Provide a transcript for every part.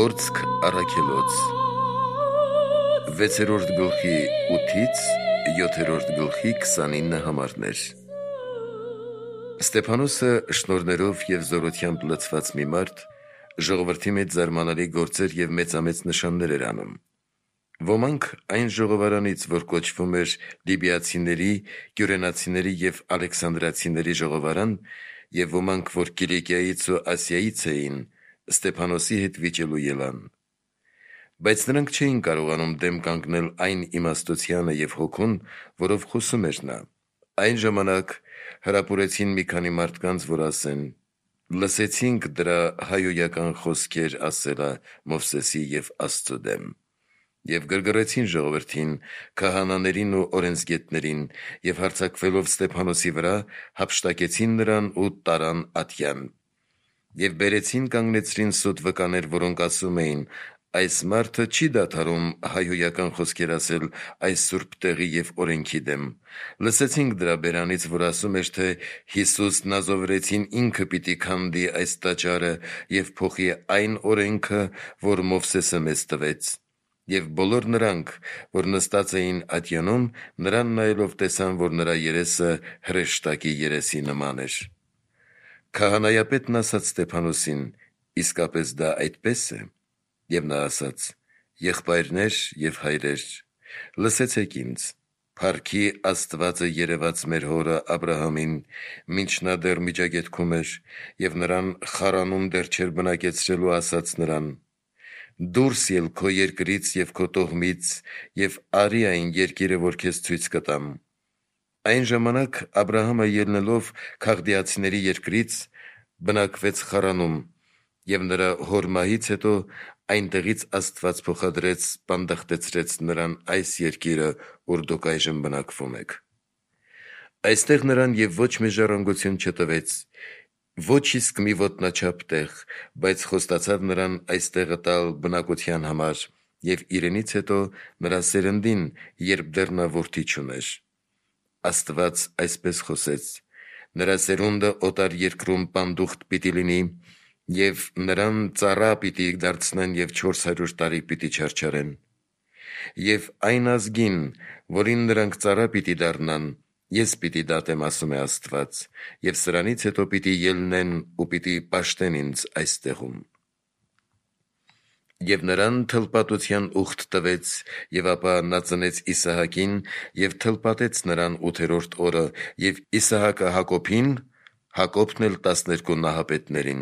Գործք առաքելոց 6-րդ գլխի 8-ից 7-րդ գլխի 29 համարներ։ Ստեփանոսը շնորհներով եւ զորությամբ լցված մի մարդ ժողովրդի մեջ զարմանալի գործեր եւ մեծամեծ նշաններ էր անում։ Ոմանք այն ժողովարանից, որ կոչվում էր լիբիացիների, կյուրենացիների եւ ալեքսանդրացիների ժողովարան, եւ ոմանք, որ Կիլիկիայից ու Ասիայից էին, Ստեփանոսի հետ վիճելու ելան։ Բայց նրանք չէին կարողանում դեմ կանգնել այն իմաստությանը եւ հոգուն, որով խոսում էր նա։ Այն ժամանակ հրապուրեցին մի քանի մարդկանց, որ ասեն. «Լսեցինք դրա հայոյական խոսքեր ասելա Մովսեսի եւ Աստծո դեմ»։ Եվ գրգռեցին ժողովրդին, քահանաներին ու օրենսգետներին, եւ հարձակվելով Ստեփանոսի վրա, հափշտակեցին նրան ու տարան ատյան։ Եվ բերեցին կանգնեցրին սուտ վկաներ, որոնք ասում էին. «Այս մարդը չի դադարում հայոյական խոսքեր ասել այս սուրբ տեղի եւ օրենքի դեմ։ Լսեցինք դրա բերանից, որ ասում էր, թե Հիսուս Նազովրեցին ինքը պիտի քանդի այս տաճարը եւ փոխի այն օրենքը, որ Մովսեսը մեզ տվեց»։ Եվ բոլոր նրանք, որ նստած էին ատյանում, նրան նայելով տեսան, որ նրա երեսը հրեշտակի երեսի նման էր։ Քահանայապետն ասաց Ստեփանոսին. «Իսկապես դա այդպես է»։ Եվ նա ասաց. «Եղբայրներ եւ հայրեր, լսեցեք ինձ. Փառքի Աստվածը երևաց մեր հորը Աբրահամին, մինչ նա դեռ միջագետքում էր, եւ նրան խարանում դեռ չէր բնակեցրելու, ասաց նրան. «Դուրս ել քո երկրից եւ քո տոհմից եւ արի այն երկիրը, որ քեզ ցույց կտամ»։ Այն ժամանակ Աբրահամը ելնելով Քաղդիացիների երկրից բնակվեց Խարանում, եւ նրա հոր մահից հետո այնտեղից Աստված փոխադրեց, բանդախտեցրեց նրան այս երկիրը, ուր դուք այժմ բնակվում եք։ Այստեղ նրան եւ ոչ մի ժառանգություն չտվեց, ոչ իսկ մի ոտնաչափ տեղ, բայց խոստացավ նրան այս տեղը տալ բնակության համար եւ իրենից հետո նրա սերնդին, երբ դեռ նա որդի չուներ։ Աստված այսպես խոսեց. նրա սերունդը օտար երկրում պանդուխտ պիտի լինի, եւ նրան ծառա պիտի դարձնեն եւ 400 տարի պիտի չարչարեն։ Եվ այն ազգին, որին նրանք ծառա պիտի դառնան, ես պիտի դատեմ, ասում է Աստված, եւ սրանից հետո պիտի ելնեն ու պիտի պաշտեն ինձ այստեղում։ Եվ նրան թլպատության ուխտ տվեց, եւ ապա նա ծնեց Իսահակին եւ թլպատեց նրան 8-րդ օրը, եւ Իսահակը Հակոբին, Հակոբն էլ 12 նահապետներին։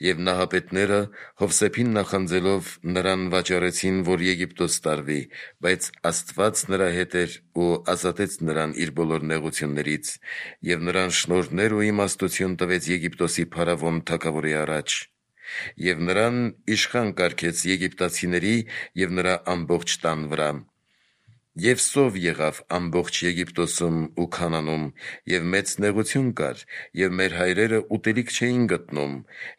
Եվ նահապետները Հովսեփին նախանձելով նրան վաճառեցին, որ Եգիպտոս տարվի, բայց Աստված նրա հետ էր ու ազատեց նրան իր բոլոր նեղություններից, եւ նրան շնորհներ ու իմաստություն տվեց Եգիպտոսի փարավոն թագավորի առաջ։ Եվ նրան իշխան կարգեց եգիպտացիների եւ նրա ամբողջ տան վրա։ Եվ սով եղավ ամբողջ Եգիպտոսում ու Քանանում, եւ մեծ նեղություն կար, եւ մեր հայրերը ուտելիք չէին գտնում,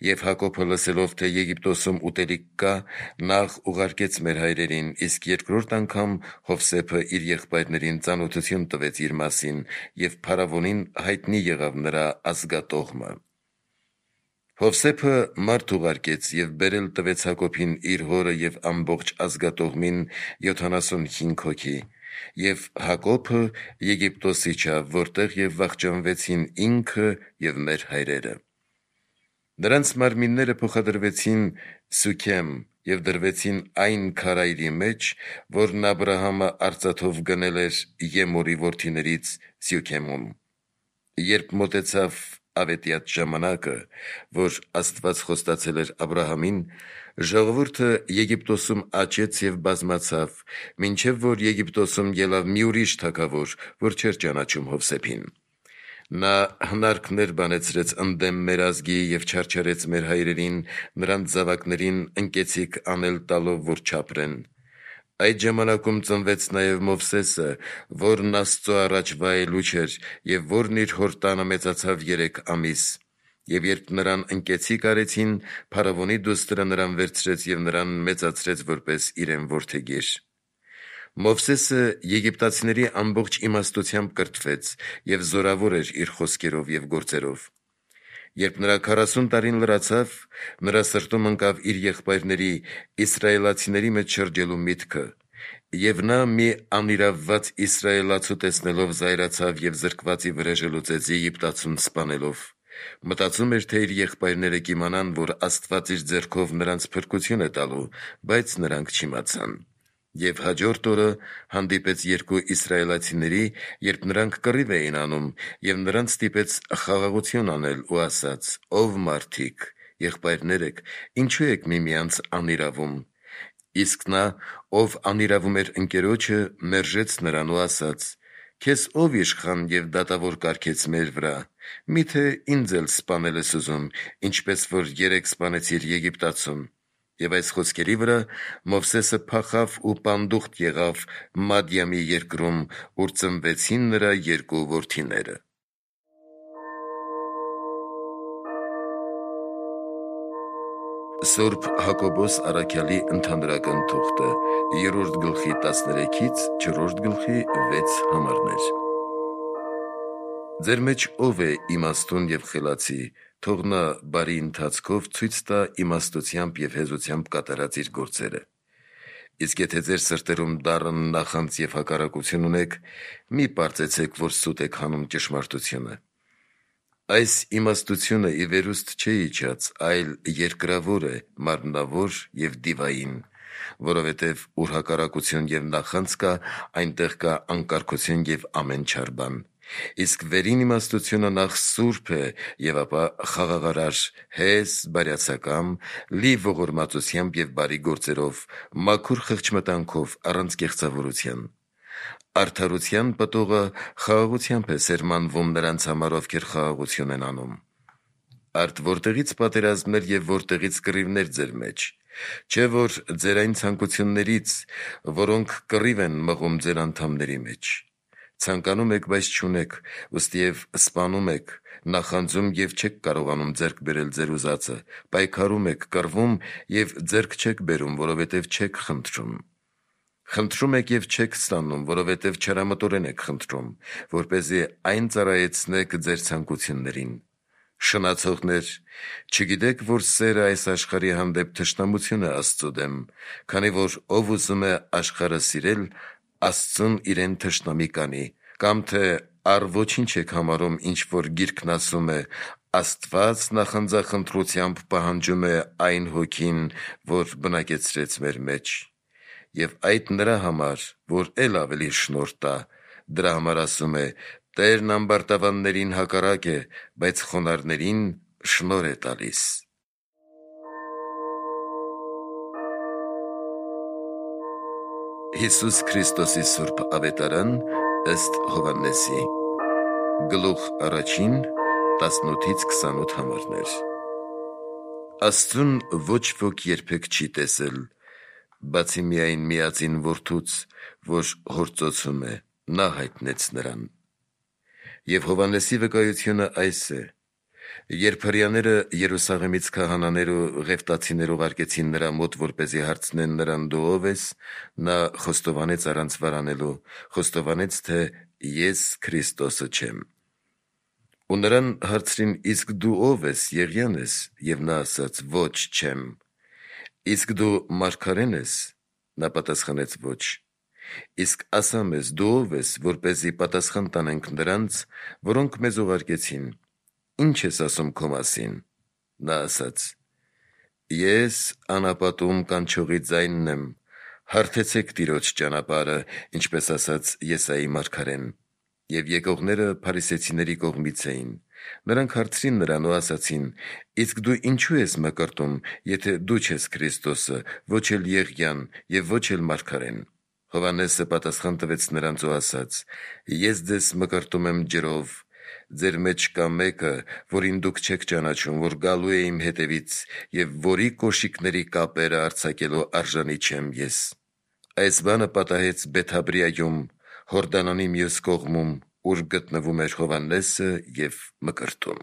եւ Հակոբը լսելով, թե Եգիպտոսում ուտելիք կա, նախ ուղարկեց մեր հայրերին, իսկ երկրորդ անգամ Հովսեփը իր եղբայրներին ծանոթություն տվեց իր մասին, եւ փարավոնին հայտնի եղավ նրա ազգատոհմը։ Հովսեփը մարդ ուղարկեց եւ բերել տվեց Հակոբին իր հորը եւ ամբողջ ազգատոհմին 75 հոգի, եւ Հակոբը Եգիպտոս իջավ, որտեղ եւ վախճանվեցին ինքը եւ մեր հայրերը։ Նրանց մարմինները փոխադրվեցին Սուքեմ եւ դրվեցին այն քարայրի մեջ, որն Աբրահամը արծաթով գնել էր Եմորի որդիներից Սյուքեմում։ Երբ մոտեցավ ավետյաց ժամանակը, որ Աստված խոստացել էր Աբրահամին, ժողովուրդը Եգիպտոսում աճեց եւ բազմացավ, մինչեւ որ Եգիպտոսում ելավ մի ուրիշ թագավոր, որ չէր ճանաչում Հովսեփին։ Նա հնարքներ բանեցրեց ընդդեմ մեր ազգի եւ չարչարեց մեր հայրերին, նրանց զավակներին ընկեցիկ անել տալով, որ չապրեն։ Այդ ժամանակում ծնվեց նաև Մովսեսը, որն Աստծո առաջ վայելուչ էր եւ որն իր հոր տանը մեծացավ 3 ամիս։ Եվ երբ նրան ընկեցիկ արեցին, փարավոնի դուստրը նրան վերցրեց եւ նրան մեծացրեց որպես իրեն որդեգիր։ Մովսեսը եգիպտացիների ամբողջ իմաստությամբ կրթվեց եւ զորավոր էր իր խոսքերով եւ գործերով։ Երբ նրա 40 տարին լրացավ, նրա սրտում ընկավ իր եղբայրների իսրայելացիների մեջ շրջելու միտքը, եւ նա մի անիրավված իսրայելացու տեսնելով զայրացավ եւ զրկվածի վրեժը լուծեց Եգիպտացուն սպանելով։ Մտածում էր, թե իր եղբայրները կիմանան, որ Աստված իր ձեռքով նրանց փրկություն է տալու, բայց նրանք չիմացան։ Եվ հաջորդ օրը հանդիպեց երկու իսրայելացիների, երբ նրանք կռիվ էին անում, եւ նրանց ստիպեց խաղաղություն անել ու ասաց. «Ով մարդիկ, եղբայրներ եք, ինչու եք միմյանց անիրավում»։ Իսկ նա, ով անիրավում էր ընկերոջը, մերժեց նրան ու ասաց. «Քեզ ով իշխան եւ դատավոր կարգեց մեր վրա, միթե ինձ էլ սպանել ես ուզում, ինչպես որ երեք սպանեցիր Եգիպտացում»։ Եվ այս խոսքերի վրա Մովսեսը փախավ ու պանդուխտ եղավ Մադիամի երկրում, ուր ծնվեցին նրա երկու որդիները։ Սուրբ Հակոբոս առաքյալի ընդհանրական թուղթը 3-րդ գլխի 13-ից 4-րդ գլխի 6 համարներ։ Ձեր մեջ ով է իմաստուն եւ խելացի, թող նա բարի ընթացքով ցույց տա իմաստությամբ եւ հեզությամբ կատարած իր գործերը։ Իսկ եթե ձեր սրտերում դառն նախանձ եւ հակառակություն ունեք, մի պարծեցեք, որ սուտ եք հանում ճշմարտությունը։ Այս իմաստությունը ի վերուստ չէ իջած, այլ երկրավոր է, մարմնավոր եւ դիվային, որովհետեւ ուր հակառակություն եւ նախանձ կա, այնտեղ կա անկարգություն եւ ամեն չար բան։ Իսկ վերին իմաստությունը նախ սուրբ է եւ ապա խաղաղարար, հես, բարյացակամ, լի ողորմածությամբ եւ բարի գործերով, մաքուր խղճմտանքով, առանց կեղծավորության։ Արդարության պտուղը խաղաղությամբ է սերմանվում նրանց համար, ովքեր խաղաղություն են անում։ Արդ որտեղից պատերազմներ եւ որտեղից կռիվներ ձեր մեջ, չէ՞ որ ձեր այն ցանկություններից, որոնք կռիվ են մղում ձեր անդամների մեջ։ Ցանկանում եք, բայց չունեք, ըստիև սպանում եք, նախանձում եւ չեք կարողանում ձեռք բերել ձեր ուզածը, պայքարում եք, կռվում եւ ձեռք չեք բերում, որովհետեւ չեք խնդրում։ Խնդրում եք եւ չեք ստանում, որովհետեւ չարամտորեն եք խնդրում, որպեսզի այն ծառայեցնեք ձեր ցանկություններին։ Շնացողներ, չգիտեք, որ սերը այս աշխարհի հանդեպ թշնամություն է Աստծո դեմ, քանի որ ով ուզում է աշխարհը սիրել, Աստծուն իրեն թշնամի կանի, կամ թե առ ոչինչ եք համարում, ինչ որ գիրքն ասում է. Աստված նախանձախնդրությամբ պահանջում է այն հոգին, որ բնակեցրեց մեր մեջ, եւ այդ նրա համար, որ ել ավելի շնորհ տա, դրա համար ասում է. Տերն ամբարտավաններին հակառակ է, բայց խոնարհներին շնորհ է տալիս։ Հիսուս Քրիստոսի Սուրբ Ավետարան ըստ Հովհաննեսի Գլուխ 1, 18-ից 28 համարներ։ Աստծուն ոչ ոք երբեք չի տեսել, բացի միայն միածին որդուց, որ հործոցում է, նա հայտնեց նրան։ Եվ Հովհաննեսի վկայությունը այս է. երբ հրեաները Երուսաղեմից քահանաներ ու ղևտացիներ ուղարկեցին նրա մոտ, որպեսզի հարցնեն նրան դու ով ես, նա խոստովանեց առանց վարանելու, խոստովանեց, թե ես Քրիստոսը չեմ։ Ու նրան հարցրին. իսկ դու ով ես, Եղիան ես, եւ նա ասաց. ոչ, չեմ։ Իսկ դու մարգարեն ես, նա պատասխանեց. ոչ։ Իսկ ասա մեզ, դու ով ես, որպեսզի պատասխան տանենք նրանց, որոնք մեզ ուղարկեցին, ինչ ես ասում քո մասին։ Նա ասաց. ես անապատում կանչողի ձայնն եմ, հարթեցեք Տիրոջ ճանապարհը, ինչպես ասաց Եսայի մարգարեն։ Եվ եկողները փարիսեցիների կողմից էին։ Նրանք հարցրին նրան ու ասացին. իսկ դու ինչու ես մկրտում, եթե դու չես Քրիստոսը, ոչ էլ Եղիան եւ ոչ էլ մարգարեն։ Հովհաննեսը պատասխան տվեց նրանց ու ասաց. ես ձեզ մկրտում եմ ջրով, ձեր մեջ կա մեկը, որին դուք չեք ճանաչում, որ գալու է իմ հետևից եւ որի կոշիկների կապերը արձակելու արժանի չեմ ես։ Այս բանը պատահեց Բեթաբրիայում, Հորդանանի մյուս կողմում, ուր գտնվում էր Հովհաննեսը եւ մկրտում։